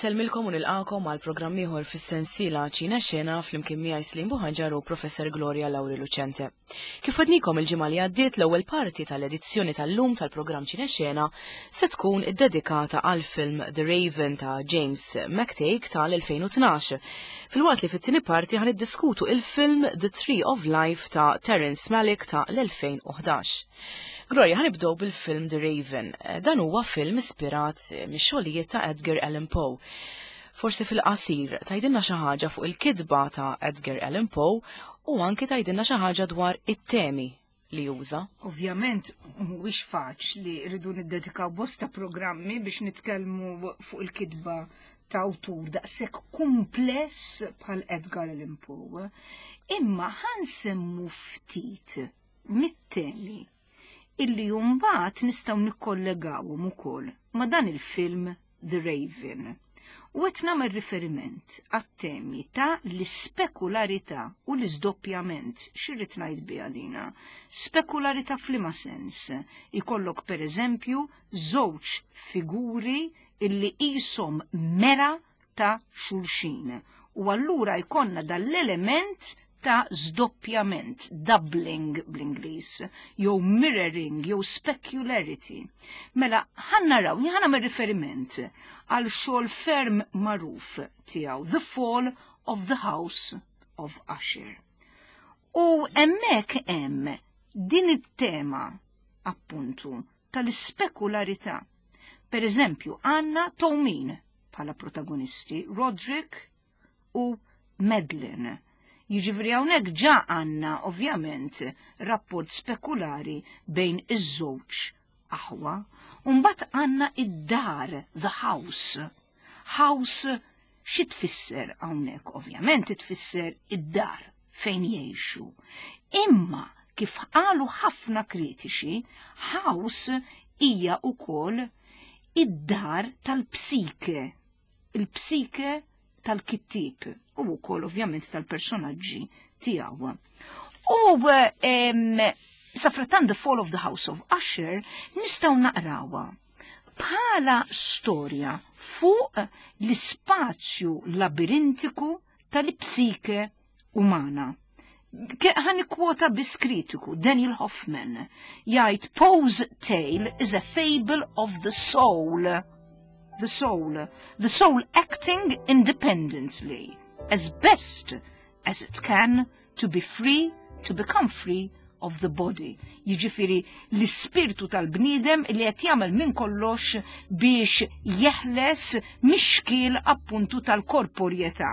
Insellmilkom u nilqakom għal programm ieħor fis-sensiela Ċina Xena flimkien miegħi Slim Buħanġar u Professor Gloria Lauri Lucente. Kif għednikom il-ġimgħa li għaddiet l-ewwel parti tal-edizzjoni tal-lum tal-programm Ċina Xena se tkun iddedikata għal film The Raven ta' James McTake tal-2012. Filwaqt li fit-tieni parti ħan iddiskutu il-film The Tree of Life ta' Terence Malick ta' l-2011. Gloria, ħanibdew bil-film The Raven. Dan huwa film ispirat mix-xogħlijiet ta' Edgar Allan Poe. Forsi fil-qasir tgħidilna xi ħaġa fuq il-kitba ta' Edgar Allan Poe u anki tgħidilna xi ħaġa dwar it-temi li juża. Ovvjament mhuwiex faċli rridu niddedikaw bosta programmi biex nitkellmu fuq il-kitba ta' awtur daqshekk kumpless bħal Edgar Allan Poe. Imma ħansemmu ftit mit-temi illi mbagħad nistgħu nikkollegawhom ukoll ma' dan il-film The Raven. U qed nagħmel riferiment għat-temi ta' l-ispekularità u l-iżdoppjament. X'irrid ngħid biha dina? Spekularità f'liema sens? Ikollok pereżempju żewġ figuri illi qishom mera ta' xulxin. U allura jkollna dal-element ta' zdoppjament, doubling bl-Ingliż, jew mirroring, jew specularity. Mela, ħa naraw, ħa nagħmel riferiment għal xogħol ferm magħruf tiegħu, The Fall of the House of Usher. U hemmhekk hemm din it-tema appuntu tal-ispekularità. Per eżempju, għandna Tomin bħala protagonisti, Roderick u Madeline. Jiġifieri hawnhekk ġa għandna ovvjament rapport spekulari bejn iż-żewġ aħwa. Mbagħad għandna id-dar, the house. House xi tfisser hawnhekk? Ovvjament tfisser id-dar fejn jgħixu. Imma kif qalu ħafna kritiċi, house hija wkoll id-dar tal-psike, il-psike tal-kittieb u wkoll ovvjament tal-personaġġi tiegħu. U safrattan The Fall of the House of Usher nistgħu naqrawha bħala storja fuq l-ispazju labirintiku tal-psike umana. Ħa nikkwota biss kritiku, Daniel Hoffman, jgħid Poe's tale is a fable of the soul. The soul. The soul acting independently, as best as it can, to be free, to become free of the body. Jiġifieri l-ispirtu tal-bniedem li qed jagħmel minn kollox biex jeħles mix-xkiel appuntu tal-korporjetà.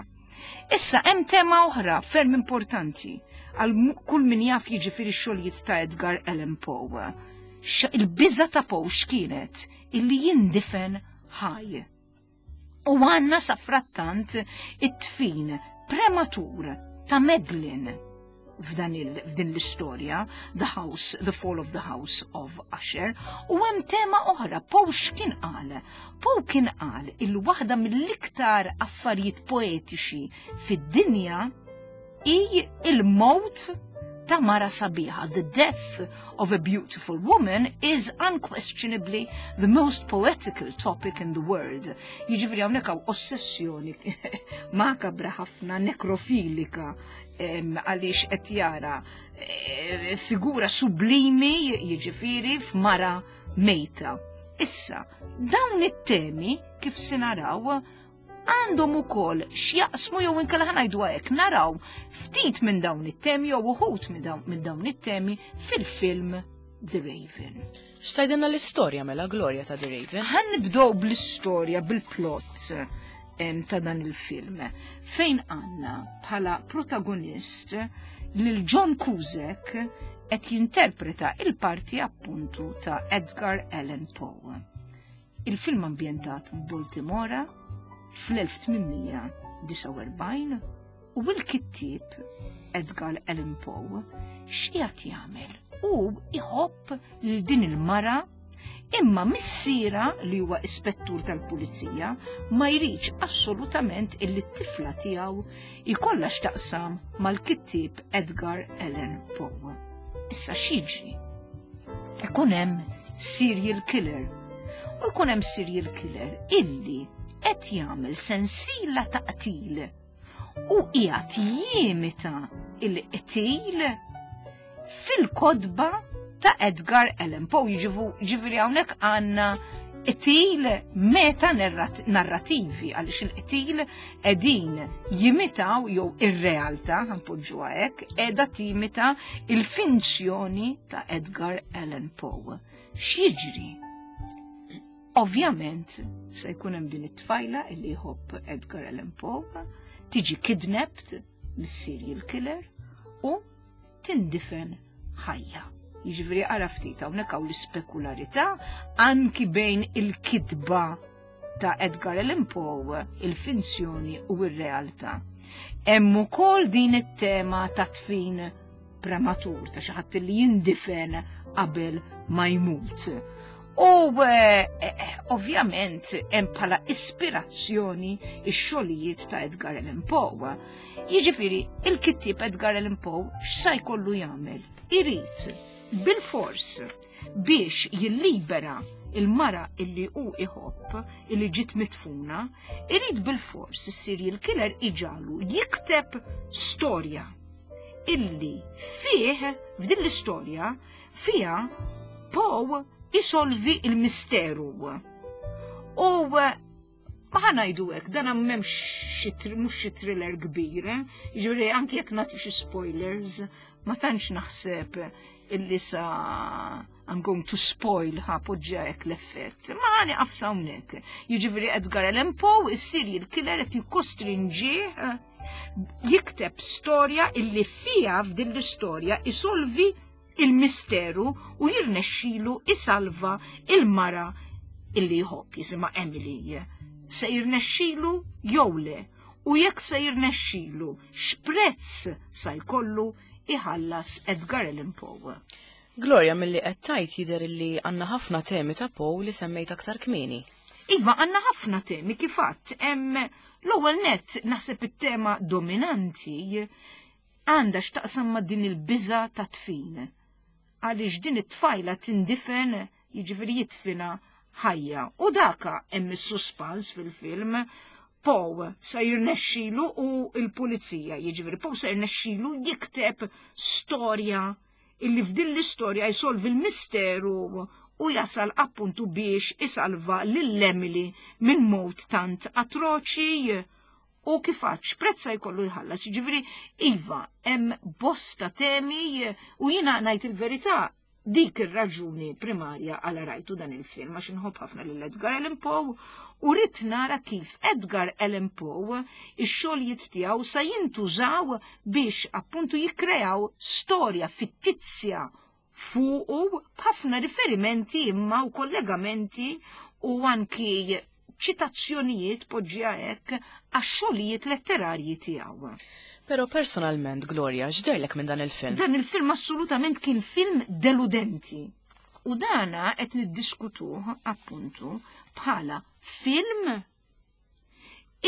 Issa hemm tema oħra ferm importanti għal kull min jaf jiġifieri x-xogħlijiet ta' Edgar Allan Poe. Il-biża ta' Poe x'kienet illi jindifen ħaj. U għandna safrattant it-tfin prematur ta' Madeline f'dan f'din l-istorja, The House, The Fall of the House of Usher, u hemm tema oħra, Poe x'kien qal? Poe kien qal il waħda mill-iktar affarijiet poetiċi fid-dinja hi il-mowt ta' mara sabiħa. The death of a beautiful woman is unquestionably the most poetical topic in the world. Jiġifieri hawnhekk hawn ossessjoni makabra ħafna nekrofilika għaliex qed jara eh, figura sublimi jiġifieri f'mara mejta. Issa, dawn it-temi kif se naraw għandhom ukoll x'jaqsmu jew inkella ħa ngħidu hekk naraw ftit minn dawn it-temi jew uħud minn dawn it-temi fil-film The Raven. X'tgħidilna l-istorja mela Gloria ta' The Raven? Ħa nibdew bl-istorja bil-plot ta' dan il-film fejn għandna bħala protagonist lil John Cusack qed jinterpreta il-parti appuntu ta' Edgar Allan Poe. Il-film ambjentat f'Baltimora fl-1849 u l-kittieb Edgar Allan Poe x'qiegħed jagħmel? U iħobb lil din il-mara imma missiera li huwa ispettur tal-pulizija ma jridx assolutament illi t-tifla tiegħu jkollha x'taqsam mal-kittieb Edgar Allan Poe. Issa x'jiġri? Ikun hemm serial killer. U jkun hemm serial killer illi qed jagħmel sensila ta' qtil u qiegħed jimita il-qtil fil-kodba ta' Edgar Allan Poe. Jiġifieri hawnhekk għandna qtil meta narrativi għaliex il-qtil qegħdin jimitaw jew ir-realtà ħanpoġġuha hekk qiegħda timita il-finzjoni ta' Edgar Allan Poe. X'jiġri? Ovvjament se jkun hemm din it-tfajla illi jħobb Edgar Allan Poe, tiġi kidnapped mis-serial killer u tindifen ħajja. Jiġifieri ara ftit hawnhekk hawn l-ispekularità anki bejn il-kitba ta' Edgar Allan Poe, il-finzjoni u r-realtà. Hemm ukoll din it-tema ta' tfin prematur ta' xi ħadd li jindifen qabel ma jmut. U eh, eh, ovvjament hemm bħala ispirazzjoni x-xogħlijiet ta' Edgar Allan Poe. Jiġifieri, il-kittieb Edgar Allan Poe x'sa jkollu jagħmel? Irid bil-fors biex jillibera il-mara illi hu iħobb, illi ġiet mitfuna, irid bil-fors is-serial killer iġalu jikteb storja illi fih f'din l-istorja fiha Poe isolvi il-misteru. U Ma ħa ngħidu hekk, dan m'hemmx mhux xi thriller kbir, eh? Jiġifieri anke jekk nagħti xi spoilers, ma tantx naħseb illi sa I'm going to spoil ħa poġġa hekk l-effett. Ma ħani qafsa hawnhekk. Jiġifieri Edgar Allan Poe, is-serial killer qed jikkostrinġih eh, jikteb storja illi fiha f'din l-istorja isolvi il-misteru u jirnexxilu isalva il-mara illi jħobb jisimha Emily. Se jirnexxilu jew le u jekk se jirnexxilu x'prezz sa jkollu iħallas Edgar Allan Poe. Gloria, milli qed tgħid jidher illi għandna ħafna temi ta' Poe li semmejt aktar kmieni. Iva, għandna ħafna temi kif għadt. Hemm l-ewwel nett naħseb it-tema dominanti għandha x'taqsam ma' din il-biża' ta' tfin. Għaliex din it-tfajla tindifen, jiġifieri jidfinha ħajja. U daka hemm is-suspans fil-film. Poe se jirnexxilu u l-pulizija, jiġifieri Poe se jirnexxilu jikteb storja illi f'din l-istorja jsolvi l-misteru u jasal appuntu biex isalva lil Emily minn mowt tant atroċi u kif għad x'prezz se jkollu jħallas. Jiġifieri iva, hemm bosta temi u jiena ngħid il-verità dik ir-raġuni primarja għala rajtu dan il-film għax inħobb ħafna lil Edgar Allan Poe u rrid nara kif Edgar Allan Poe ix-xogħlijiet tiegħu sa jintużaw biex appuntu jikkreaw storja fittizja fuqu b'ħafna riferimenti imma u kollegamenti u anki ċitazzjonijiet poġġija hekk għax-xogħlijiet letterarji tiegħu. Però personalment, Gloria, x'dehrlek minn dan il-film? Dan il-film assolutament kien film deludenti. U dana qed niddiskutuh appuntu bħala film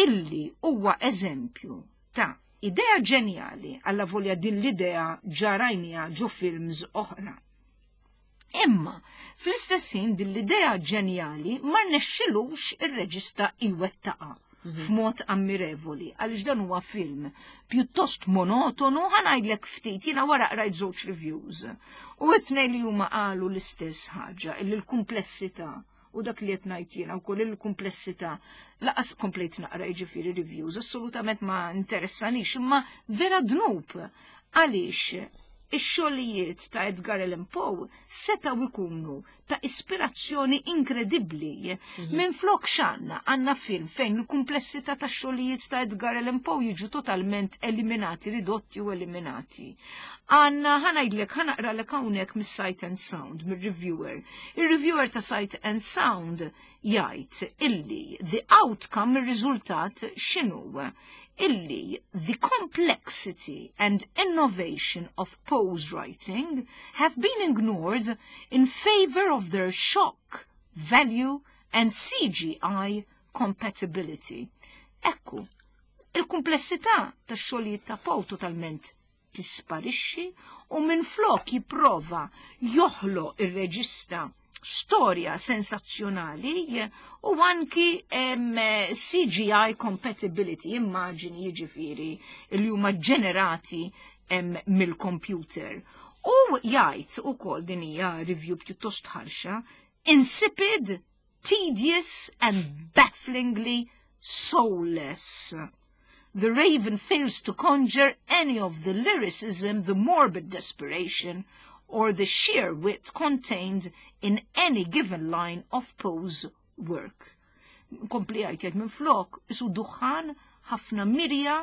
illi huwa eżempju ta' idea ġenjali alla volja din l-idea ġarajnija ġo films oħra. Imma fl-istess ħin din l-idea ġenjali ma rnexxilux ir-reġista iwettaqa f'mod ammirevoli għaliex dan huwa film pjuttost monotonu ħa ngħidlek ftit jiena wara qrajt żewġ reviews u it-tnejn li huma qalu l-istess ħaġa illi l-kumplessità u dak li qed ngħid jiena wkoll il-kumplessità laqas komplejt naqra jiġifieri reviews assolutament ma interessanix imma vera dnub għaliex ix-xogħlijiet ta' Edgar Allan Poe setgħu jkunu ta' ispirazzjoni inkredibbli. Minn flok x'għandna għandna film fejn il-kumplessità ta' xogħlijiet ta' Edgar Allan Poe jiġu totalment eliminati, ridotti u eliminati. Għandna ħa ngħidlek ħa naqralek hawnhekk mis-Sight and Sound, mir-reviewer. Ir-reviewer ta' Sight and Sound jgħid illi the outcome, ir-riżultat x'inhu? Illi the complexity and innovation of Poe's writing have been ignored in favor of their shock, value and CGI compatibility. Ekku, il-kumplessità tax-xogħlijiet ta' Poe totalment tisparixxi u minflok jipprova joħloq ir-reġista. Storja sensazzjonali u anki CGI compatibility, immaġini jiġifieri li huma ġenerati mill-computer. U jgħid ukoll din hija review pjuttost ħarxa, insipid, tedious and bafflingly soulless. The Raven fails to conjure any of the lyricism, the morbid desperation, or the sheer wit contained in any given line of Poe's work. Kompli għajt minn flok, isu duħan, ħafna mirja,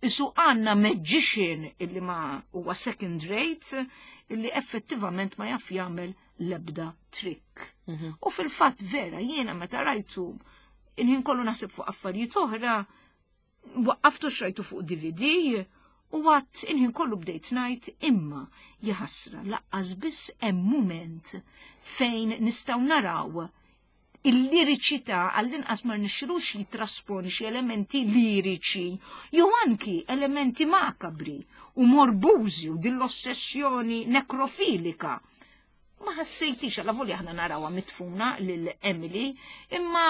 isu għanna magician illi ma huwa second rate, illi effettivament ma jaf jagħmel lebda trick. U fil-fatt vera jiena meta rajtu il-ħin kollu naħseb fuq affarijiet oħra, waqqaftu xrajtu fuq DVD u għat il-ħin kollu bdejt ngħid imma jaħasra laqqas biss hemm mument fejn nistgħu naraw il-liriċità għall-inqas ma nixrux jitrasponi xi elementi liriċi jew anki elementi makabri u morbużi u din l-ossessjoni nekrofilika. Ma ħassejtix għala volja aħna narawha mitfuna lil Emily, imma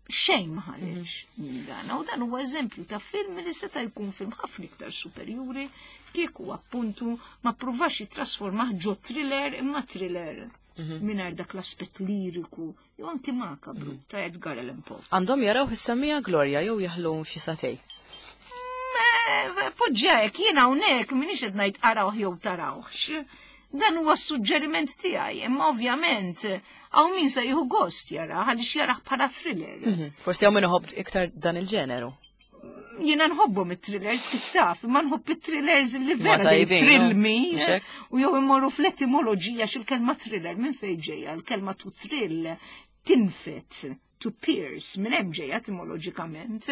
xejn ma ħareġ minn dan. U dan huwa eżempju ta' film li seta' jkun film ħafna iktar superjuri kieku appuntu ma pruvax jitrasformah ġo thriller imma thriller mingħajr dak l-aspett liriku jew anki makabru ta' Edgar Allan Poe. Għandhom jaraw is-semmija Gloria jew jaħlu xi satej. Poġġa hekk jiena hawnhekk m'iniex qed ngħid arawh jew tarawhx. Dan huwa s-suġġeriment tiegħi, imma ovvjament hawn min se jieħu gost jara għaliex jarah bħala thriller. Forsi hawn min iħobb iktar dan il-ġeneru. Jiena nħobbhom it-thrillers kif taf, imma nħobb it-thrillers li Ma vera tajbin, thrill no? me. Mhux hekk? U jew immorru fl-etimoloġija x'il-kelma thriller minn fejn ġejja, l-kelma to thrill tinfet, to pierce, minn hemm ġejja etimoloġikament,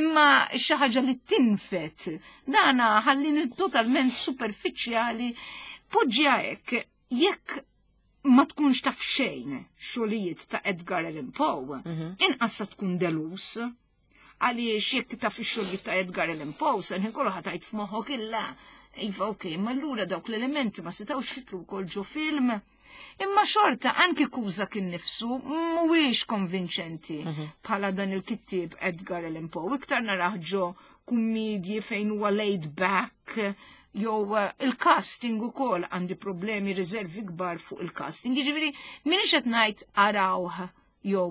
imma xi ħaġa li tinfet, dana ħallini totalment superfiċjali, poġġja hekk, jekk ma tkunx taf xejn xogħlijiet ta' Edgar Allan Poe, inqas se tkun delus. Għaliex jekk taf ix-xogħlijiet ta' Edgar Allan Poe, se nħin kollu ħatajt f'moħħok illa. Iva, ok, ma allura dawk l-elementi ma setgħux jitlu wkoll ġo film. Imma xorta anki Cusack innifsu mhuwiex konvinċenti bħala dan il-kittieb Edgar Allan Poe. Iktar narah ġo kummedji fejn huwa laid back, jew il-casting ukoll għandi problemi riservi kbar fuq il-casting. Jiġifieri m'iniex qed ngħid arawh jew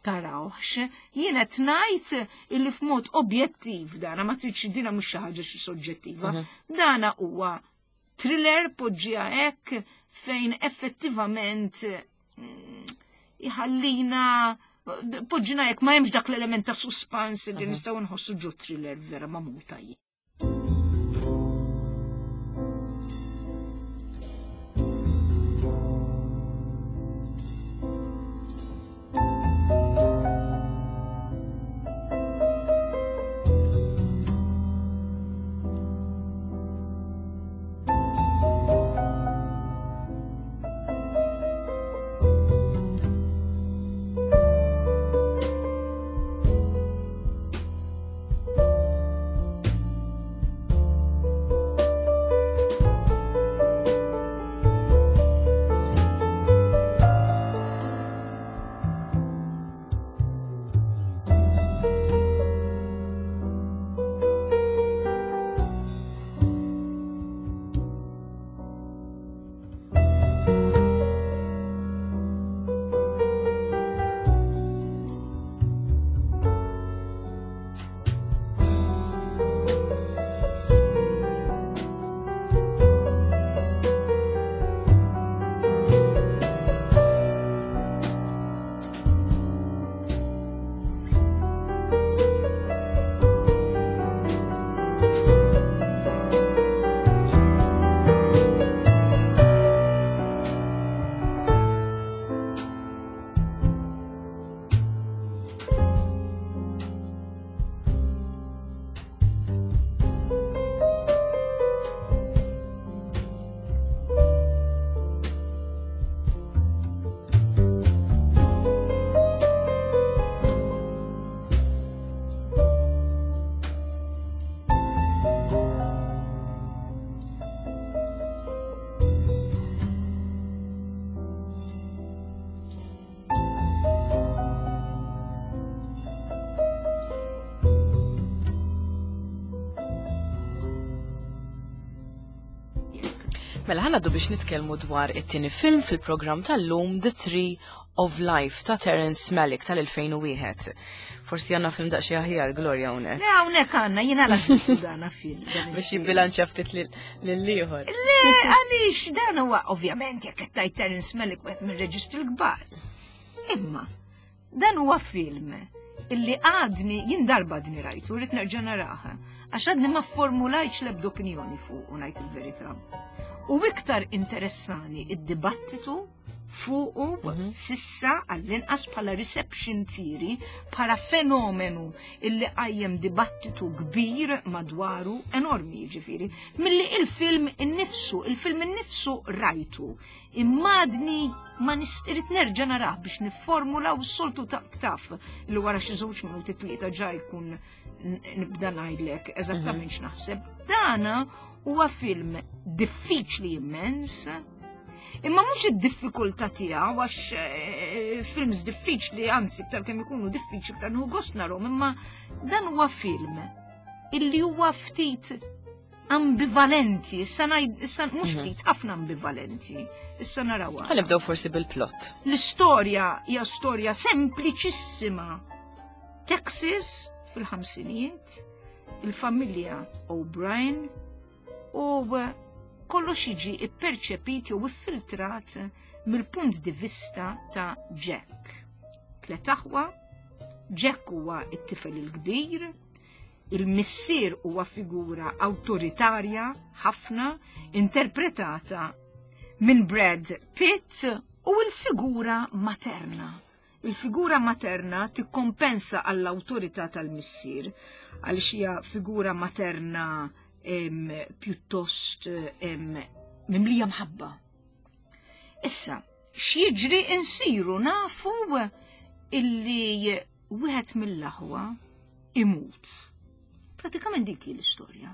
tarawhx, jien qed ngħid illi f'mod objettiv dana ma tridx dina mhux xi ħaġa xi soġġettiva. Dana huwa thriller poġġija hekk fejn effettivament jħallina poġġina hekk ma hemmx dak l-element ta' suspans li nistgħu nħossu ġo thriller vera magħmul tajjeb. Mela ħa ngħaddu biex nitkellmu dwar it-tieni film fil-programm tal-lum The Tree of Life ta' Terence Malick tal-2001. Forsi għandna film daqsxejn aħjar, Gloria hawnhekk. Le hawnhekk għandna jiena la sibtu dana film. Biex jibbilanċja ftit lill-ieħor. Le għaliex dan huwa ovvjament jekk qed tgħid Terence Malick wieħed mir-reġistri l-kbar. Imma Dan huwa film illi għadni, jien darba għadni rajtu, rrid nerġa' naraha, għax għadni ma formulajtx l-ebda opinjoni fuq u ngħid il-verità. U iktar interessani id-dibattitu fuqu mhm. sissa għall-inqas bħala reception theory, bħala fenomenu illi qajjem dibattitu kbir madwaru enormi ġifiri, milli il-film innifsu, il-film innifsu rajtu, Imma għadni ma nistirid nerġa' narah biex nifformula u s-soltu ta' taf li wara xi żewġ minuti tlieta ġa jkun nibda ngħidlek eżattament mhm. x'naħseb. Dana huwa film diffiċli immens, Imma mhux id-diffikultà tiegħu għax eh, films diffiċli, anzi iktar kemm ikunu diffiċli iktar nieħu gost narhom, imma dan huwa film illi huwa ftit ambivalenti, issa ngħid issa mhux mhm. ftit ħafna ambivalenti. Issa narawha. Ħa nibdew forsi bil-plot. L-istorja hija storja sempliċissima. Texas fil-ħamsinijiet, il-familja O'Brien u kollox jiġi ipperċepit jew iffiltrat mill-punt di vista ta' Jack. Tlet aħwa, Jack huwa it-tifel il-kbir, Il-missier huwa figura awtoritarja ħafna interpretata minn Brad Pitt u l-figura materna. Il-figura materna tikkompensa għall-awtorità tal-missier għaliex hija figura materna pjuttost mimlija mħabba. Issa, x'jiġri insiru nafu illi wieħed mill-aħwa imut. Pratikament dik hi l-istorja.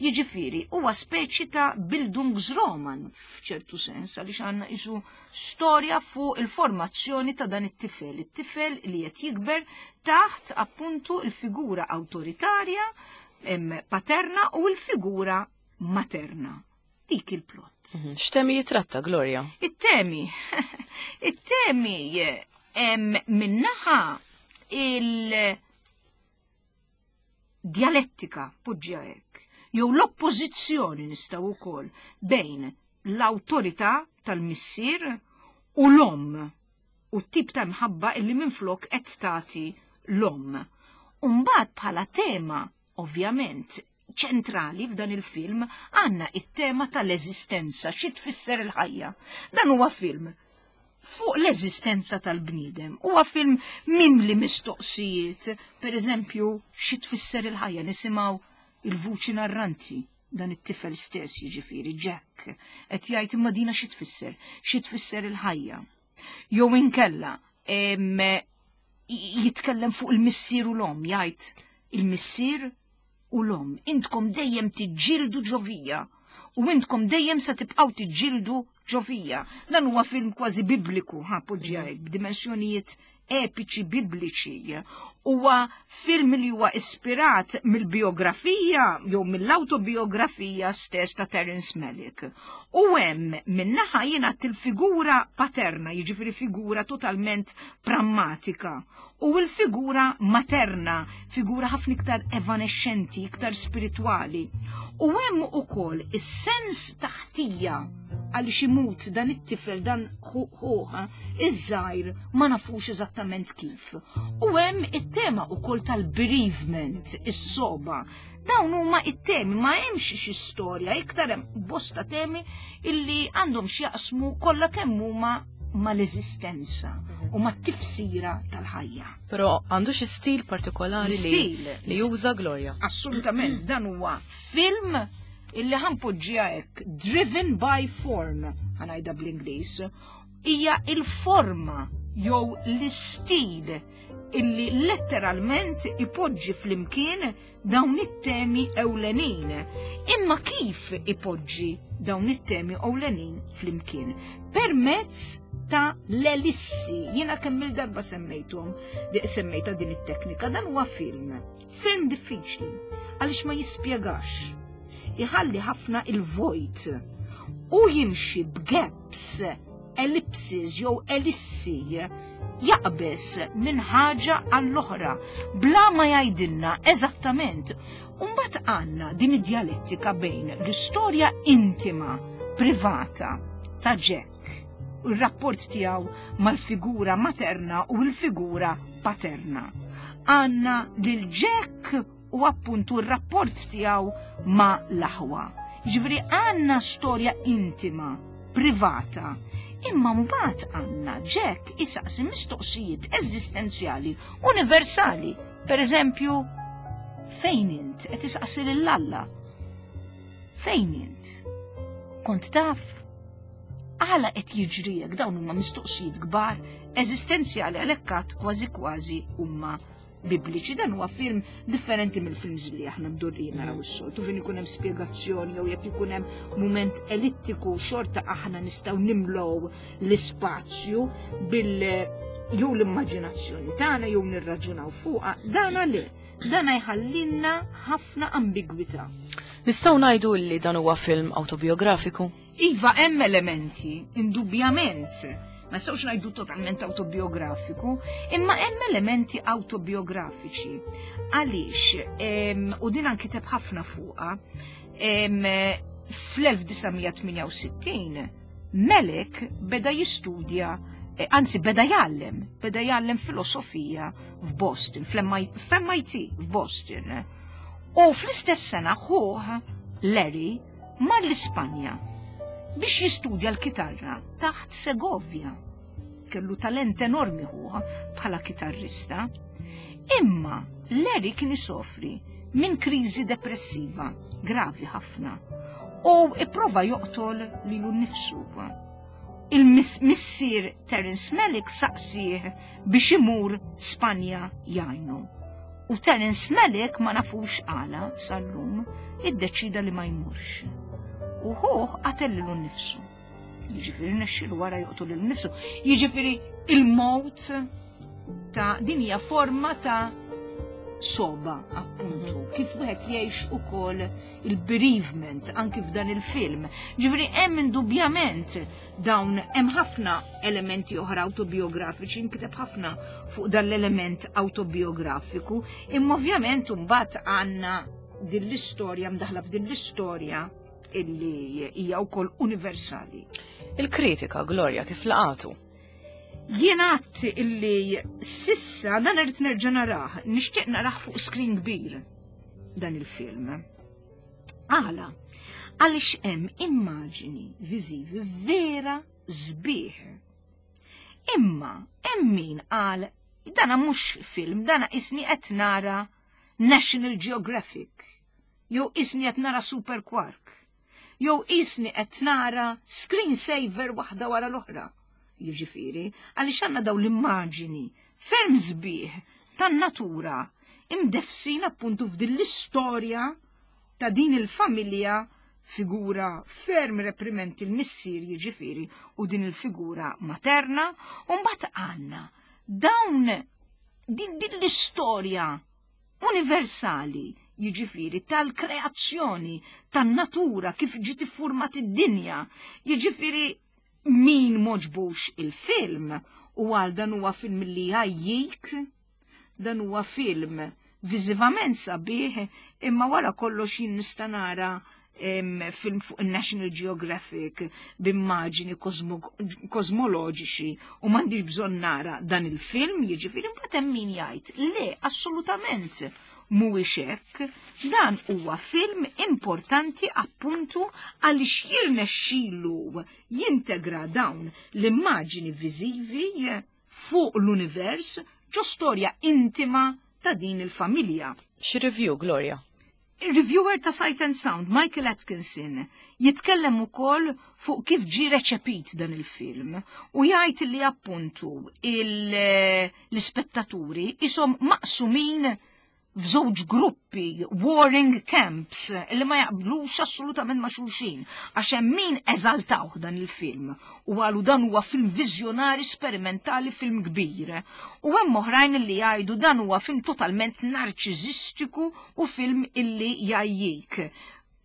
Jiġifieri huwa speċi ta' Bildungsroman f'ċertu sens għaliex għandna isu storja fuq il-formazzjoni ta' dan it-tifel, it-tifel li qed jikber taħt appuntu l-figura awtoritarja paterna u l-figura materna. Dik il-plot. Mhm. X'temi jitratta, Gloria? It-temi. It-temi minnaħa il- dialettika, poġġiha hekk, jew l-oppożizzjoni nistgħu wkoll bejn l-awtorità tal-missier u l-omm u t-tip ta' mħabba illi minflok qed tagħti l-omm. Umbagħad bħala tema, ovvjament, ċentrali f'dan il-film għandna it-tema tal-eżistenza, xi tfisser il-ħajja. Dan huwa film fuq l-eżistenza tal-bniedem. Huwa film mimli mistoqsijiet, per eżempju, xi tfisser il-ħajja nisimgħu il-vuċi narranti dan it-tifel stess jiġifieri Jack qed jgħid imma dina xi tfisser, xi tfisser il-ħajja. Jew inkella jitkellem fuq il-missier u l-omm, jgħid il-missier u l-omm, intkom dejjem tiġġieldu ġo fija u intkom dejjem se tibqgħu tiġġieldu ġo fija. Dan huwa film kważi bibliku, ħa poġġiha hekk, b'dimensjonijiet epiċi bibliċi. Huwa film li huwa ispirat mill-biografija jew mill-autobiografija stess ta' Terence Malick. U hemm minnaħa jiena il-figura paterna, jiġifieri figura totalment prammatika, u l-figura materna, figura ħafna iktar evanescenti, iktar spiritwali. U hemm ukoll is-sens ta' ħtija għaliex imut dan it-tifel dan ħuħ iż-żgħir ma nafux eżattament kif. U hemm it-tema ukoll tal-bereavement, is-soba. Dawn huma it-temi, ma hemmx xi storja, iktar hemm bosta temi illi għandhom x'jaqsmu kollha kemm huma mal-eżistenza u mat-tifsira tal-ħajja. Però għandu xi stil partikolari li, li juża Gloria. Assolutament, dan huwa film illi ħa npoġġiha hekk, driven by form, ħa ngħidha bl-Ingliż, hija il-forma jew l-istil illi letteralment ipoġġi flimkien dawn it-temi ewlenin. Imma kif ipoġġi dawn it-temi ewlenin flimkien? Permezz ta' l-elissi. Jiena kemm il-darba semmejthom, semmejta din it-teknika, dan huwa film. Film diffiċli, għaliex ma jispjegax. Iħalli ħafna il-vojt. U jimxi b'gaps, ellipses jew elissi, jaqbeż minn ħaġa għall-oħra bla ma jgħidilna eżattament. U mbagħad għandna din id-djalettika bejn l-istorja intima, privata ta' Jack u r-rapport tiegħu mal-figura materna u l-figura paterna. Għandna lil Jack u appuntu r-rapport tiegħu ma' l-aħwa. Jiġifieri għandna storja intima, privata, imma mbagħad għandna Jack isaqsi mistoqsijiet eżistenzjali universali. Per eżempju, fejn int? Qed isaqsi lil Alla. Fejn int? Kont taf? Għala qed jiġri hekk? Dawn huma mistoqsijiet kbar eżistenzjali għalhekk kważi kważi huma bibliċi. Dan huwa film differenti mill-films li aħna mdorrijin naraw is-soltu fejn ikun hemm spjegazzjoni jew jekk ikun hemm mument elittiku xorta aħna nistgħu nimlow l-ispazju bil jew l-immaġinazzjoni tagħna jew nirraġunaw fuqha. Dana le, dana jħallinna ħafna ambigwità. Nistgħu ngħidu li dan huwa film awtobiografiku? Iva, hemm elementi, indubjament. Ma nistgħux ngħidu totalment awtobiografiku, imma hemm elementi awtobiografiċi. Għaliex, u din ankiteb ħafna fuqha, fl-1968 Malick beda jistudja, anzi beda jgħallem, beda jgħallem filosofija f'Boston, fl-MIT f'Boston. U fl-istess sena ħuh Larry mar l-Ispanja biex jistudja l-kitarra taħt Segovia. Kellu talent enormi ħuh bħala kitarrista. Imma Larry kien isofri minn kriżi depressiva gravi ħafna u ipprova joqtol lilu nnifsu. Il-missier Terence Malick saqsih biex imur Spanja jgħinu. U Terence Malick ma nafux għala sal-lum iddeċida li ma jmurx. U ħuh qatel lilu nnifsu. Jiġifieri nexxielu wara joqtol lilu nnifsu. Jiġifieri il-mowt ta' din hija forma ta' soba, appuntu, kif wieħed jgħix ukoll il-bereavement anki f'dan il-film. Ġifieri hemm indubjament dawn hemm ħafna elementi oħra autobiografiċi, nkiteb ħafna fuq dan l-element autobiografiku, imma ovvjament imbagħad għandna din l-istorja mdaħla f'din l-istorja illi hija wkoll universali. Il-kritika, Gloria, kif laqatu? Jien għadt illi sissa dan irid nerġa' narah, nixtieq narah fuq screen kbir dan il-film. Għala, għaliex hemm immaġini viżivi vera sbieħ. Imma hemm min qal dana mhux film, dana isni qed nara National Geographic, jew isni qed nara Super Quark, jew isni qed nara screensaver waħda wara l-oħra. Jiġifieri, għaliex għandna dawn l-immaġini ferm sbieħ tan-natura imdefsin appuntu f'din l-istorja ta' din il-familja, figura ferm reprimenti l-missier jiġifieri u din il-figura materna, u mbagħad għandna dawn din l-istorja universali, jiġifieri tal-kreazzjoni tan-natura kif ġiet iffurmat id-dinja, jiġifieri min moġbux il-film u għal dan huwa film li jgħajjik, dan huwa film viżivament sabiħ, imma wara kollox jien nista' nara film fuq il-National Geographic b'immaġini kosmoloġiċi u m'għandix bżonn nara dan il-film, jiġifieri mbagħad hemm min jgħid le, assolutament mhuwiex hekk. Dan huwa film importanti appuntu għaliex jirnexxilu jintegra dawn l-immaġini viżivi fuq l-univers ġo storja intima ta' din il-familja. Xi review, Gloria? Il-reviewer ta' Sight and Sound, Michael Atkinson, jitkellem ukoll fuq kif ġie reċepit dan il-film u jgħid li appuntu l-ispettaturi isom maqsumin f'żewġ gruppi, warring camps, li ma jaqblux assolutament ma' xulxin, għax hemm min eżaltawh dan il-film u qalu dan huwa film viżjonari, sperimentali, film kbir. U hemm oħrajn li jgħidu dan huwa film totalment narċiżistiku u film illi jgħajjik.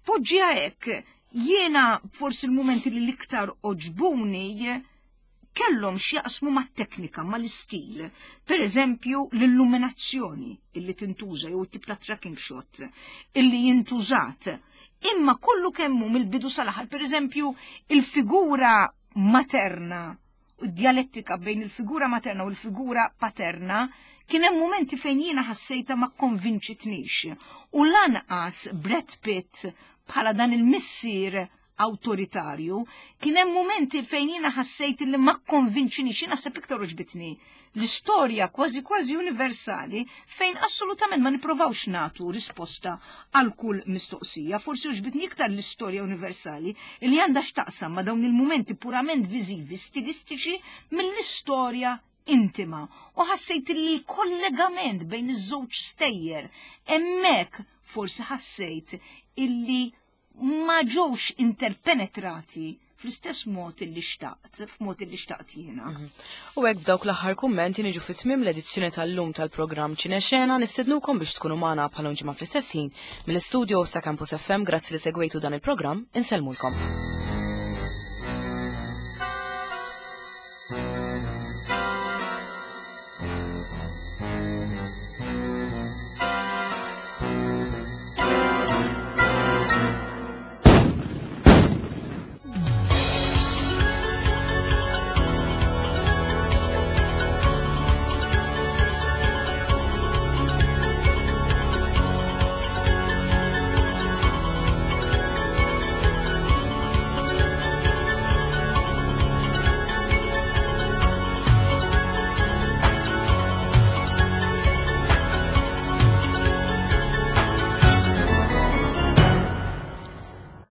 Poġġiha hekk, Jiena forsi l-mumenti li l-iktar oġbuni kellhom x'jaqsmu mat-teknika, mal-istil. Per eżempju, l-illuminazzjoni illi tintuża jew it-tip ta' tracking shot illi jintużat. Imma kollu kemmu mill-bidu sal-aħħar, per eżempju, il-figura materna u d-djalettika bejn il-figura materna u l-figura paterna kien hemm mumenti fejn jiena ħassejta ma konvinċitnix. U lanqas Brad Pitt bħala dan il-missier awtoritarju, kien hemm mumenti fejn jiena ħassejt li ma konvinċinix, jiena naħseb iktar uġbitni l-istorja kważi kważi universali fejn assolutament ma nipprovawx natu risposta għal kull mistoqsija, forsi uġbitni iktar l-istorja universali li għandha x'taqsam ma' dawn il-mumenti purament viżivi, stilistiċi mill-istorja intima u ħassejt li l-kollegament bejn iż-żewġ stejjer hemmhekk forsi ħassejt illi ma ġewx interpenetrati fl-istess mod illi xtaqt, f'mod illi xtaqt jiena. Mhm. U hekk b'dawk l-aħħar kummenti niġu fi tmiem l-edizzjoni tal-lum tal-programm Ċinexena nistednukom biex tkunu magħna bħal ġimgħa fl-istess ħin mill-istudio sa Campus FM grazzi li segwejtu dan il-programm insellmulkom.